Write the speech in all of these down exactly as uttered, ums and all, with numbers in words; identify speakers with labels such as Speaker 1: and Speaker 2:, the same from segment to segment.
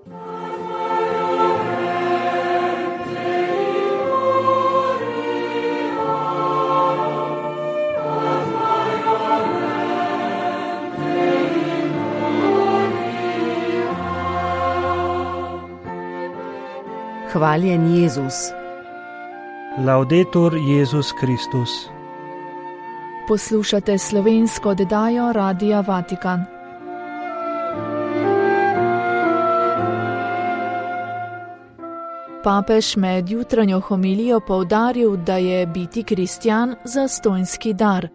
Speaker 1: Hvaljen Jezus.
Speaker 2: Laudetur Jezus Kristus.
Speaker 3: Poslušate slovensko oddajo Radia Vatikan. Papež med jutranjo homilijo poudaril, da je biti kristjan zastonjski dar.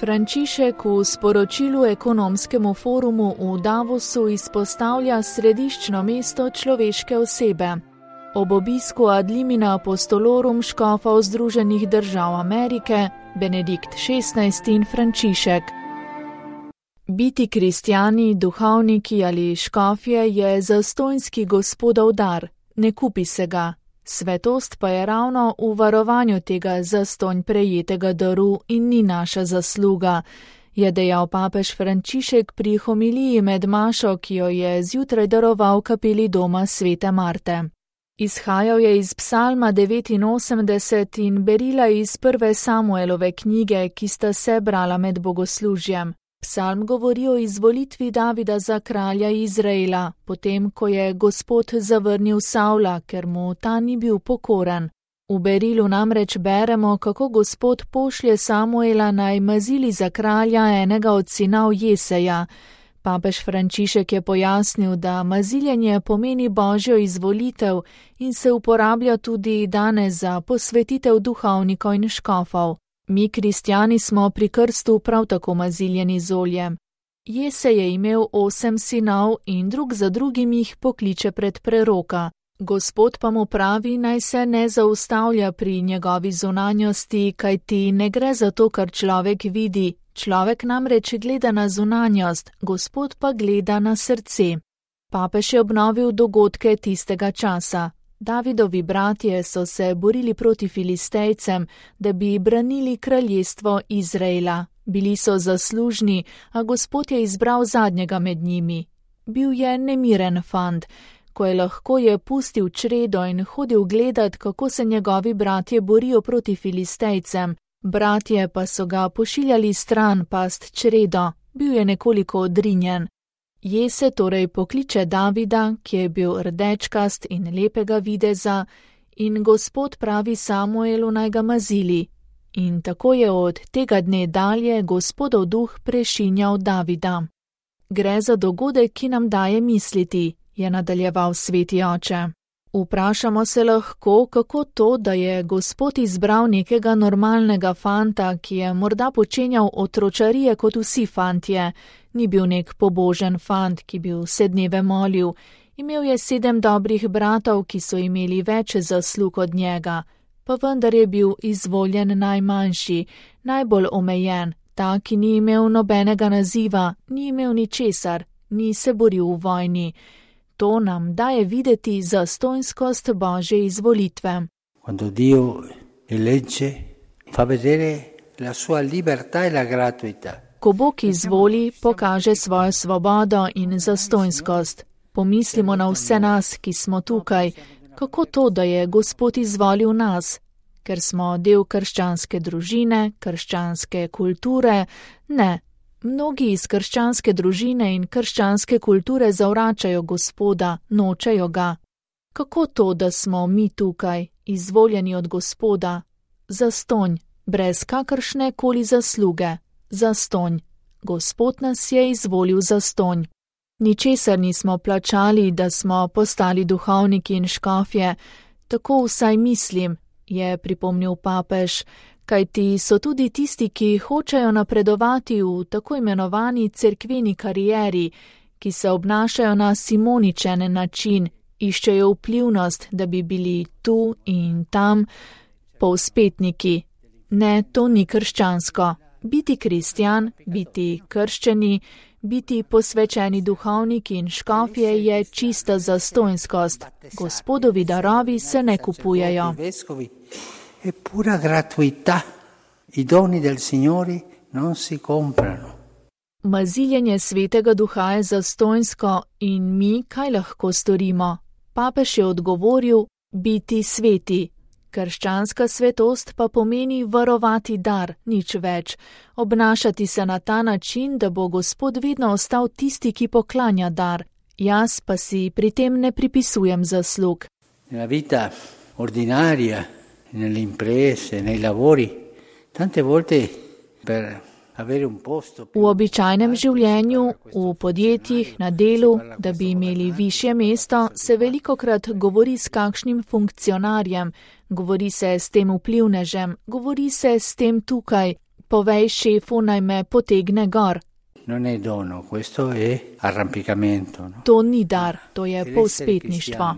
Speaker 3: Frančišek v sporočilu ekonomskemu forumu v Davosu izpostavlja središčno mesto človeške osebe. Ob obisku ad limina apostolorum škofov Združenih držav Amerike, Benedikt šestnajsti in Frančišek. Biti kristjani, duhovniki ali škofje je zastonjski gospodov dar, ne kupi se ga. Svetost pa je ravno v varovanju tega zastonj prejetega daru in ni naša zasluga, je dejal papež Frančišek pri homiliji med mašo, ki jo je zjutraj daroval v kapeli doma svete Marte. Izhajal je iz psalma devetinosemdeset in berila iz prve Samuelove knjige, ki sta se brala med bogoslužjem. Psalm govori o izvolitvi Davida za kralja Izraela, potem ko je Gospod zavrnil Savla, ker mu ta ni bil pokoren. V berilu namreč beremo, kako Gospod pošlje Samuela naj mazili za kralja enega od sinov Jeseja. Papež Frančišek je pojasnil, da maziljenje pomeni božjo izvolitev in se uporablja tudi danes za posvetitev duhovnikov in škofov. Mi, kristjani, smo pri krstu prav tako maziljeni z oljem. Jesej je imel osem sinov in drug za drugim jih pokliče pred preroka. Gospod pa mu pravi, naj se ne zaustavlja pri njegovi zunanjosti, kajti ne gre za to, kar človek vidi. Človek namreč gleda na zunanjost, Gospod pa gleda na srce. Papež je obnovil dogodke tistega časa. Davidovi bratje so se borili proti Filistejcem, da bi branili kraljestvo Izraela. Bili so zaslužni, a Gospod je izbral zadnjega med njimi. Bil je nemiren fant. Ko je lahko, je pustil čredo in hodil gledat, kako se njegovi bratje borijo proti Filistejcem. Bratje pa so ga pošiljali stran past čredo, bil je nekoliko odrinjen. Jese torej pokliče Davida, ki je bil rdečkast in lepega videza, in Gospod pravi Samuelu naj ga mazili. In tako je od tega dne dalje Gospodov duh prešinjal Davida. Gre za dogodek, ki nam daje misliti, je nadaljeval sveti oče. Vprašamo se lahko, kako to, da je Gospod izbral nekega normalnega fanta, ki je morda počenjal otročarije kot vsi fantje. Ni bil nek pobožen fant, ki bi vse dneve molil. Imel je sedem dobrih bratov, ki so imeli več zaslug od njega. Pa vendar je bil izvoljen najmanjši, najbolj omejen, ta, ki ni imel nobenega naziva, ni imel ničesar, ni se boril v vojni. To nam daje videti zastonjskost Božje izvolitve.
Speaker 4: Quando Dio elegge, fa vedere la sua libertà e la gratuità.
Speaker 3: Ko Bog izvoli, pokaže svojo svobodo in zastonjskost. Pomislimo na vse nas, ki smo tukaj. Kako to, da je Gospod izvolil nas? Ker smo del krščanske družine, krščanske kulture? Ne. Mnogi iz krščanske družine in krščanske kulture zavračajo Gospoda, nočejo ga. Kako to, da smo mi tukaj, izvoljeni od Gospoda? Zastonj, brez kakršne koli zasluge. Zastonj. Gospod nas je izvolil zastonj. Ničesar nismo plačali, da smo postali duhovniki in škofje. Tako vsaj mislim, je pripomnil papež. Kajti so tudi tisti, ki hočejo napredovati v tako imenovani cerkveni karieri, ki se obnašajo na simoničen način, iščejo vplivnost, da bi bili tu in tam, povspetniki. Ne, to ni krščansko. Biti kristjan, biti krščeni, biti posvečeni duhovniki in škofje je čista zastonjskost. Gospodovi darovi se ne kupujejo.
Speaker 4: È pura gratuità. I doni del Signore non si comprano.
Speaker 3: Maziljenje svetega duha je zastonjsko in mi kaj lahko storimo? Papež je odgovoril: biti sveti. Krščanska svetost pa pomeni varovati dar, nič več. Obnašati se na ta način, da bo Gospod vedno ostal tisti, ki poklanja dar. Jaz pa si pri tem ne pripisujem zaslug.
Speaker 4: Nella vita ordinaria, nelle imprese, nei lavori, tante volte per
Speaker 3: V običajnem življenju, v podjetjih, na delu, da bi imeli višje mesto, se velikokrat govori s kakšnim funkcionarjem, govori se s tem vplivnežem, govori se s tem tukaj, povej šefu, naj me potegne gor.
Speaker 4: Non è dono, questo è arrampicamento. No?
Speaker 3: To ni dar, to je povspetništvo.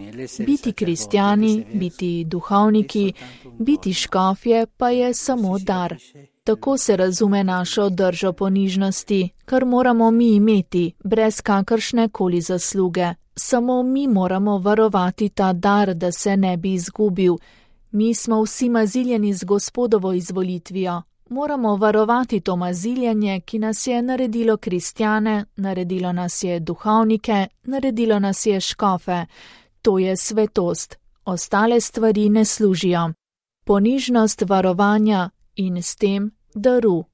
Speaker 3: Biti kristjani, biti duhovniki, biti škofje pa je samo dar. Tako se razume našo držo ponižnosti, kar moramo mi imeti, brez kakršne koli zasluge. Samo mi moramo varovati ta dar, da se ne bi izgubil. Mi smo vsi maziljeni z Gospodovo izvolitvijo. Moramo varovati to maziljenje, ki nas je naredilo kristjane, naredilo nas je duhovnike, naredilo nas je škofe. To je svetost. Ostale stvari ne služijo. Ponižnost varovanja in s tem daru.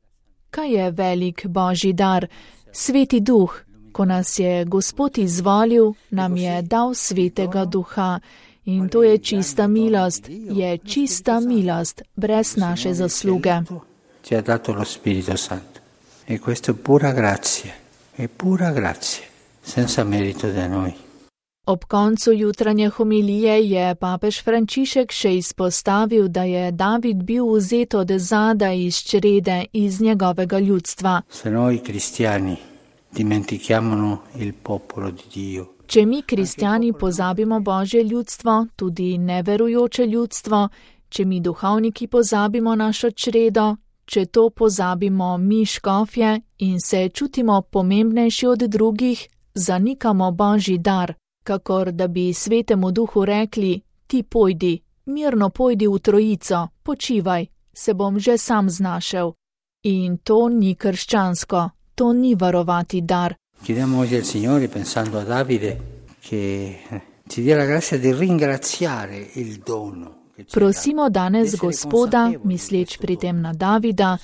Speaker 3: Kaj je velik Božji dar? Sveti duh. Ko nas je Gospod izvolil, nam je dal svetega duha. In to je čista milost, je čista milost, brez naše zasluge.
Speaker 4: Ci ha dato lo Spirito Santo. E questo è pura grazia, è pura grazia, senza merito da noi.
Speaker 3: Ob koncu jutranje homilije je papež Frančišek še izpostavil, da je David bil vzet od zada iz črede, iz njegovega ljudstva.
Speaker 4: Se noi cristiani dimentichiamo il popolo di Dio.
Speaker 3: Če mi kristjani pozabimo Božje ljudstvo, tudi neverujoče ljudstvo, če mi duhovniki pozabimo našo čredo, če to pozabimo mi škofje in se čutimo pomembnejši od drugih, zanikamo Božji dar, kakor da bi svetemu duhu rekli: ti pojdi, mirno pojdi v trojico, počivaj, se bom že sam znašel. In to ni krščansko, to ni varovati dar.
Speaker 4: Chiediamo oggi al Signore, pensando a Davide, che ci dia la grazia di ringraziare il dono.
Speaker 3: Prosimo danes Gospoda, misleč pri tem na Davida,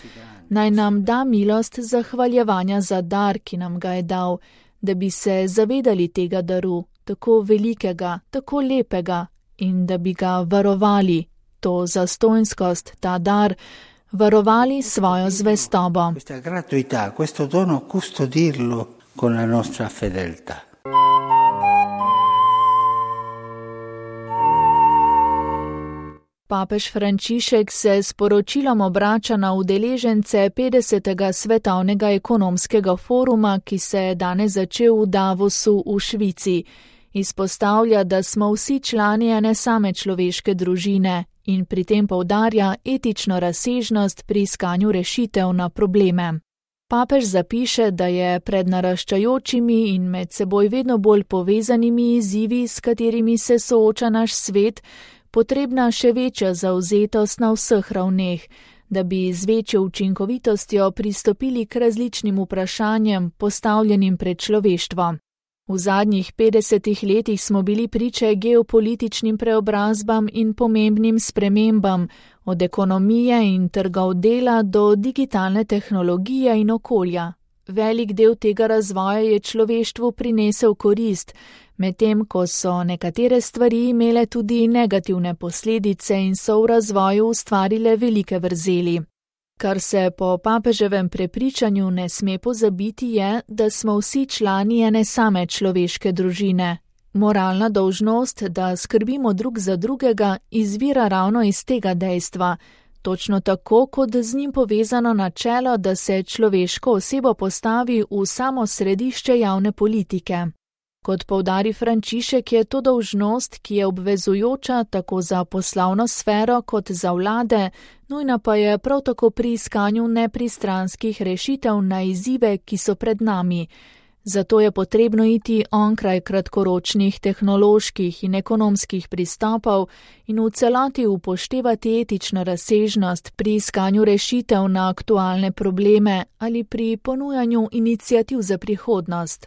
Speaker 3: naj nam da milost zahvaljevanja za dar, ki nam ga je dal, da bi se zavedali tega daru, tako velikega, tako lepega, in da bi ga varovali, to zastonjskost, ta dar, varovali svojo zvestobo.
Speaker 4: Questa gratuità, questo dono, custodirlo con la nostra fedeltà.
Speaker 3: Papež Frančišek se s poročilom obrača na udeležence petdesetega svetovnega ekonomskega foruma, ki se je danes začel v Davosu v Švici. Izpostavlja, da smo vsi člani ene same človeške družine in pri tem poudarja etično razsežnost pri iskanju rešitev na probleme. Papež zapiše, da je pred naraščajočimi in med seboj vedno bolj povezanimi izzivi, s katerimi se sooča naš svet, potrebna še večja zavzetost na vseh ravneh, da bi z večjo učinkovitostjo pristopili k različnim vprašanjem, postavljenim pred človeštvo. V zadnjih petdesetih letih smo bili priče geopolitičnim preobrazbam in pomembnim spremembam, od ekonomije in trgov dela do digitalne tehnologije in okolja. Velik del tega razvoja je človeštvu prinesel korist, medtem ko so nekatere stvari imele tudi negativne posledice in so v razvoju ustvarile velike vrzeli. Kar se po papeževem prepričanju ne sme pozabiti je, da smo vsi člani ene same človeške družine. Moralna dolžnost, da skrbimo drug za drugega, izvira ravno iz tega dejstva, točno tako kot z njim povezano načelo, da se človeško osebo postavi v samo središče javne politike. Kot poudari Frančišek, je to dolžnost, ki je obvezujoča tako za poslovno sfero kot za vlade, nujna pa je prav tako pri iskanju nepristranskih rešitev na izzive, ki so pred nami. Zato je potrebno iti onkraj kratkoročnih tehnoloških in ekonomskih pristopov in v celoti upoštevati etično razsežnost pri iskanju rešitev na aktualne probleme ali pri ponujanju iniciativ za prihodnost.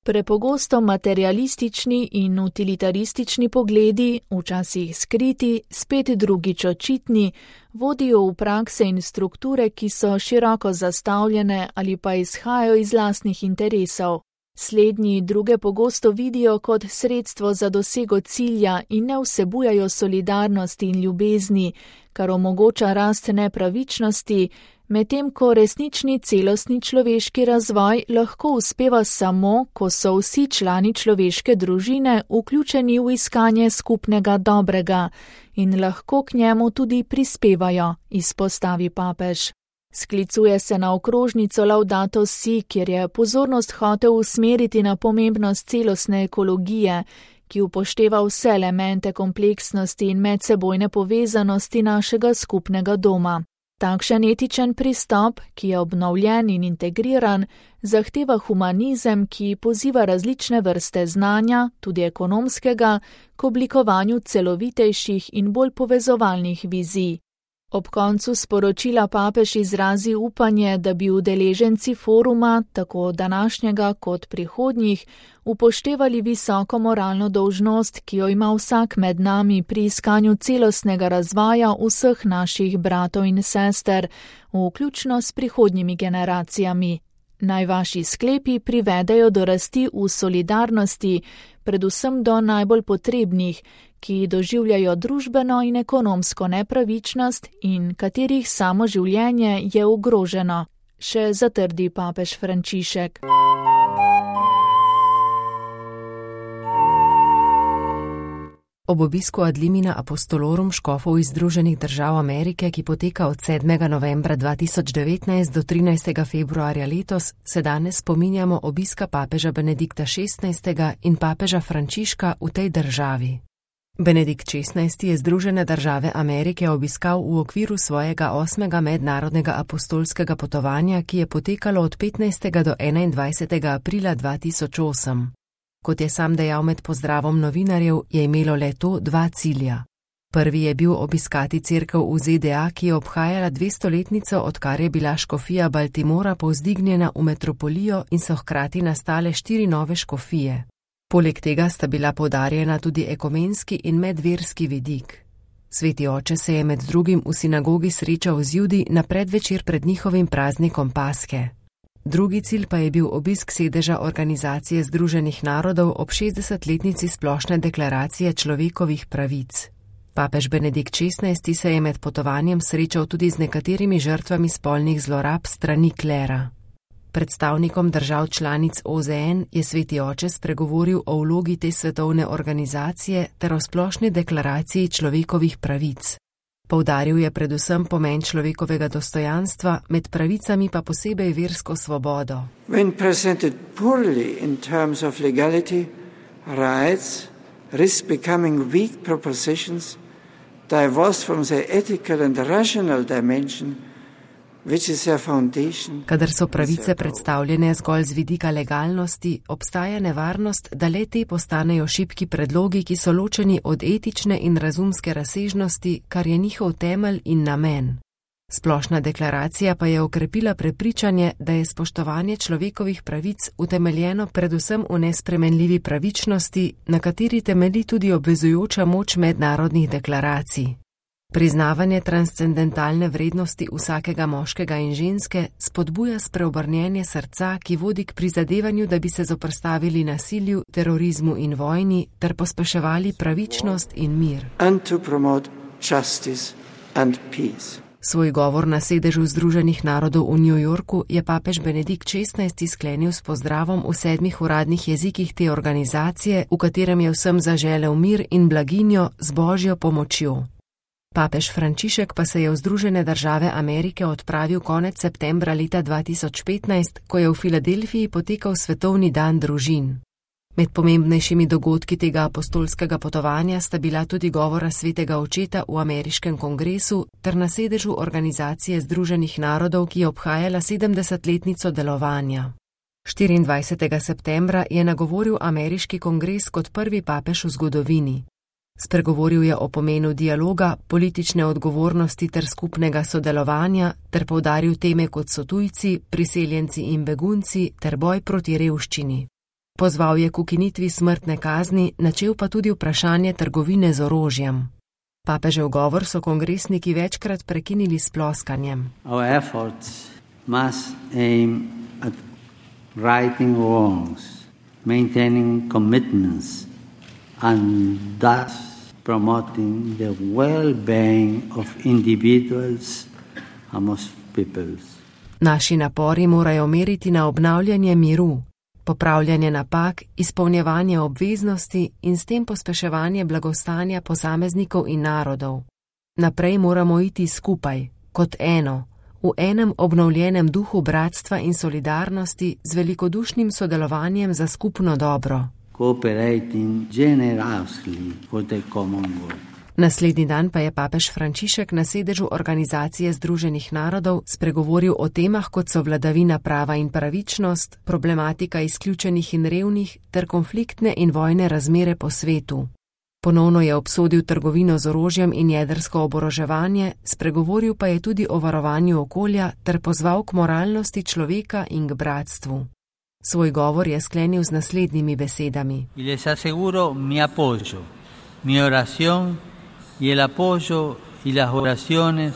Speaker 3: Prepogosto materialistični in utilitaristični pogledi, včasih skriti, spet drugič očitni, vodijo v prakse in strukture, ki so široko zastavljene ali pa izhajajo iz lastnih interesov. Slednji druge pogosto vidijo kot sredstvo za dosego cilja in ne vsebujajo solidarnosti in ljubezni, kar omogoča rast nepravičnosti, medtem ko resnični celostni človeški razvoj lahko uspeva samo, ko so vsi člani človeške družine vključeni v iskanje skupnega dobrega in lahko k njemu tudi prispevajo, izpostavi papež. Sklicuje se na okrožnico Laudato Si, kjer je pozornost hotel usmeriti na pomembnost celostne ekologije, ki upošteva vse elemente kompleksnosti in medsebojne povezanosti našega skupnega doma. Takšen etičen pristop, ki je obnovljen in integriran, zahteva humanizem, ki poziva različne vrste znanja, tudi ekonomskega, k oblikovanju celovitejših in bolj povezovalnih vizij. Ob koncu sporočila papež izrazi upanje, da bi udeleženci foruma, tako današnjega kot prihodnjih, upoštevali visoko moralno dolžnost, ki jo ima vsak med nami pri iskanju celostnega razvoja vseh naših bratov in sester, vključno s prihodnjimi generacijami. Naj vaši sklepi privedejo do rasti v solidarnosti, predvsem do najbolj potrebnih, ki doživljajo družbeno in ekonomsko nepravičnost in katerih samo življenje je ogroženo, še zatrdi papež Frančišek.
Speaker 1: Ob obisku Ad limina apostolorum škofov iz Združenih držav Amerike, ki poteka od sedmega novembra dva tisoč devetnajst do trinajstega februarja letos, se danes spominjamo obiska papeža Benedikta šestnajstega in papeža Frančiška v tej državi. Benedikt šestnajsti je Združene države Amerike obiskal v okviru svojega osmega mednarodnega apostolskega potovanja, ki je potekalo od petnajstega do enaindvajsetega aprila dva tisoč osem. Kot je sam dejal med pozdravom novinarjev, je imelo le to dva cilja. Prvi je bil obiskati cerkev v Z D A, ki je obhajala dvestoletnico, odkar je bila škofija Baltimora povzdignjena v metropolijo in so hkrati nastale štiri nove škofije. Poleg tega sta bila poudarjena tudi ekumenski in medverski vidik. Sveti oče se je med drugim v sinagogi srečal z Judi na predvečer pred njihovim praznikom Paske. Drugi cilj pa je bil obisk sedeža Organizacije združenih narodov ob šestdesetletnici splošne deklaracije človekovih pravic. Papež Benedikt šestnajsti se je med potovanjem srečal tudi z nekaterimi žrtvami spolnih zlorab strani klera. Predstavnikom držav članic O Z N je sveti oče spregovoril o vlogi te svetovne organizacije ter o splošni deklaraciji človekovih pravic. Poudaril je predvsem pomen človekovega dostojanstva, med pravicami pa posebej versko svobodo.
Speaker 2: When presented poorly in terms of legality, rights risk becoming weak propositions, divorced from their ethical and rational dimension, which is their foundation.
Speaker 1: Kadar so pravice predstavljene zgolj z vidika legalnosti, obstaja nevarnost, da le te postanejo šibki predlogi, ki so ločeni od etične in razumske razsežnosti, kar je njihov temelj in namen. Splošna deklaracija pa je okrepila prepričanje, da je spoštovanje človekovih pravic utemeljeno predvsem v nespremenljivi pravičnosti, na kateri temelji tudi obvezujoča moč mednarodnih deklaracij. Priznavanje transcendentalne vrednosti vsakega moškega in ženske spodbuja spreobrnjenje srca, ki vodi k prizadevanju, da bi se zoperstavili nasilju, terorizmu in vojni ter pospeševali pravičnost in mir. Svoj govor na sedežu Združenih narodov v New Yorku je papež Benedikt šestnajsti sklenil s pozdravom v sedmih uradnih jezikih te organizacije, v katerem je vsem zaželel mir in blaginjo z božjo pomočjo. Papež Frančišek pa se je v Združene države Amerike odpravil konec septembra leta dva tisoč petnajst, ko je v Filadelfiji potekal Svetovni dan družin. Med pomembnejšimi dogodki tega apostolskega potovanja sta bila tudi govora svetega očeta v ameriškem kongresu ter na sedežu Organizacije združenih narodov, ki je obhajala sedemdesetletnico delovanja. štiriindvajsetega septembra je nagovoril ameriški kongres kot prvi papež v zgodovini. Spregovoril je o pomenu dialoga, politične odgovornosti ter skupnega sodelovanja ter poudaril teme kot so tujci, priseljenci in begunci ter boj proti revščini. Pozval je k ukinitvi smrtne kazni, načel pa tudi vprašanje trgovine z orožjem. Papežev govor so kongresniki večkrat prekinili s ploskanjem.
Speaker 4: Our efforts must aim at righting wrongs, maintaining commitments and thus promoting the well-being of individuals amongst peoples.
Speaker 1: Naši napori morajo meriti na obnavljanje miru, popravljanje napak, izpolnjevanje obveznosti in s tem pospeševanje blagostanja posameznikov in narodov. Naprej moramo iti skupaj, kot eno, v enem obnovljenem duhu bratstva in solidarnosti z velikodušnim sodelovanjem za skupno dobro.
Speaker 4: Cooperating generously for the common good.
Speaker 1: Naslednji dan pa je papež Frančišek na sedežu Organizacije združenih narodov spregovoril o temah, kot so vladavina prava in pravičnost, problematika izključenih in revnih ter konfliktne in vojne razmere po svetu. Ponovno je obsodil trgovino z orožjem in jedrsko oboroževanje, spregovoril pa je tudi o varovanju okolja ter pozval k moralnosti človeka in k bratstvu. Svoj govor je sklenil z naslednjimi besedami.
Speaker 5: Y les aseguro mi apoyo, mi oración y el apoyo y las oraciones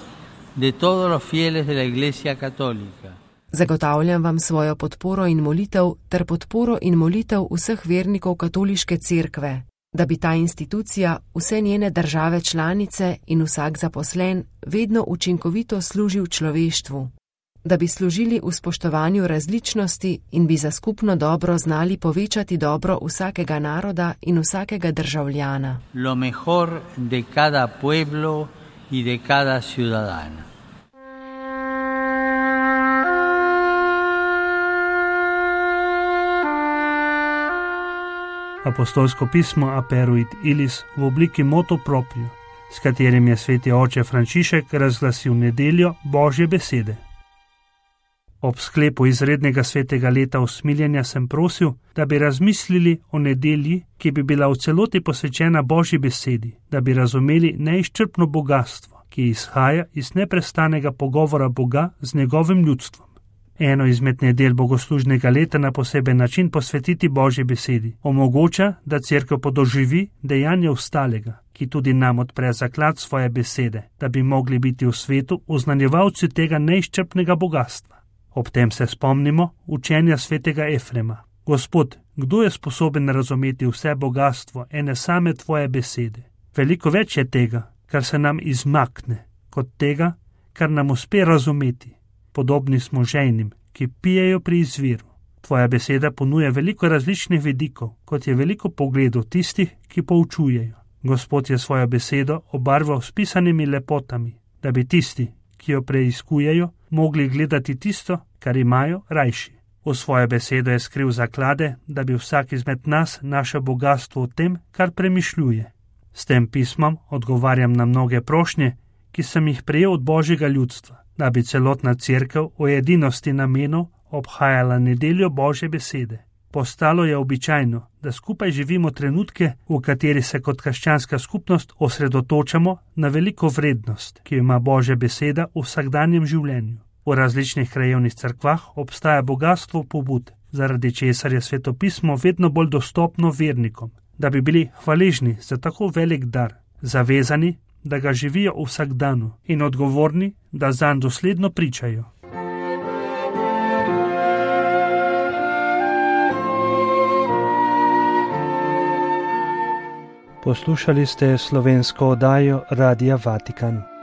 Speaker 5: de todos los fieles de la Iglesia Católica.
Speaker 1: Zagotavljam vam svojo podporo in molitev ter podporo in molitev vseh vernikov katoliške cerkve, da bi ta institucija, vse njene države članice in vsak zaposlen vedno učinkovito služil človeštvu, da bi služili v spoštovanju različnosti in bi za skupno dobro znali povečati dobro vsakega naroda in vsakega državljana.
Speaker 5: Lo mejor de cada pueblo y de cada ciudadano.
Speaker 6: Apostolsko pismo Aperuit Ilis v obliki motu proprio, s katerim je sveti oče Frančišek razglasil nedeljo Božje besede. Ob sklepu izrednega svetega leta usmiljenja sem prosil, da bi razmislili o nedelji, ki bi bila v celoti posvečena Božji besedi, da bi razumeli neizčrpno bogatstvo, ki izhaja iz neprestanega pogovora Boga z njegovim ljudstvom. Eno izmed nedelj bogoslužnega leta na poseben način posvetiti Božji besedi omogoča, da cerkev podoživi dejanje ostalega, ki tudi nam odpre zaklad svoje besede, da bi mogli biti v svetu oznanjevalci tega neizčrpnega bogatstva. Ob tem se spomnimo učenja svetega Efrema. Gospod, kdo je sposoben razumeti vse bogatstvo ene same tvoje besede? Veliko več je tega, kar se nam izmakne, kot tega, kar nam uspe razumeti. Podobni smo žejnim, ki pijejo pri izviru. Tvoja beseda ponuja veliko različnih vidikov, kot je veliko pogledov tistih, ki poučujejo. Gospod je svojo besedo obarval s pisanimi lepotami, da bi tisti, ki jo preiskujejo, mogli gledati tisto, kar imajo rajši. V svojo besedo je skril zaklade, da bi vsak izmed nas našel bogatstvo v tem, kar premišljuje. S tem pismom odgovarjam na mnoge prošnje, ki sem jih prejel od Božjega ljudstva, da bi celotna cerkev o edinosti namenov obhajala nedeljo Božje besede. Postalo je običajno, da skupaj živimo trenutke, v kateri se kot krščanska skupnost osredotočamo na veliko vrednost, ki jo ima Božja beseda v vsakdanjem življenju. V različnih krajevnih cerkvah obstaja bogatstvo pobud, zaradi česar je svetopismo vedno bolj dostopno vernikom, da bi bili hvaležni za tako velik dar, zavezani, da ga živijo v vsakdanu in odgovorni, da zanj dosledno pričajo.
Speaker 7: Poslušali ste slovensko oddajo Radia Vatikan.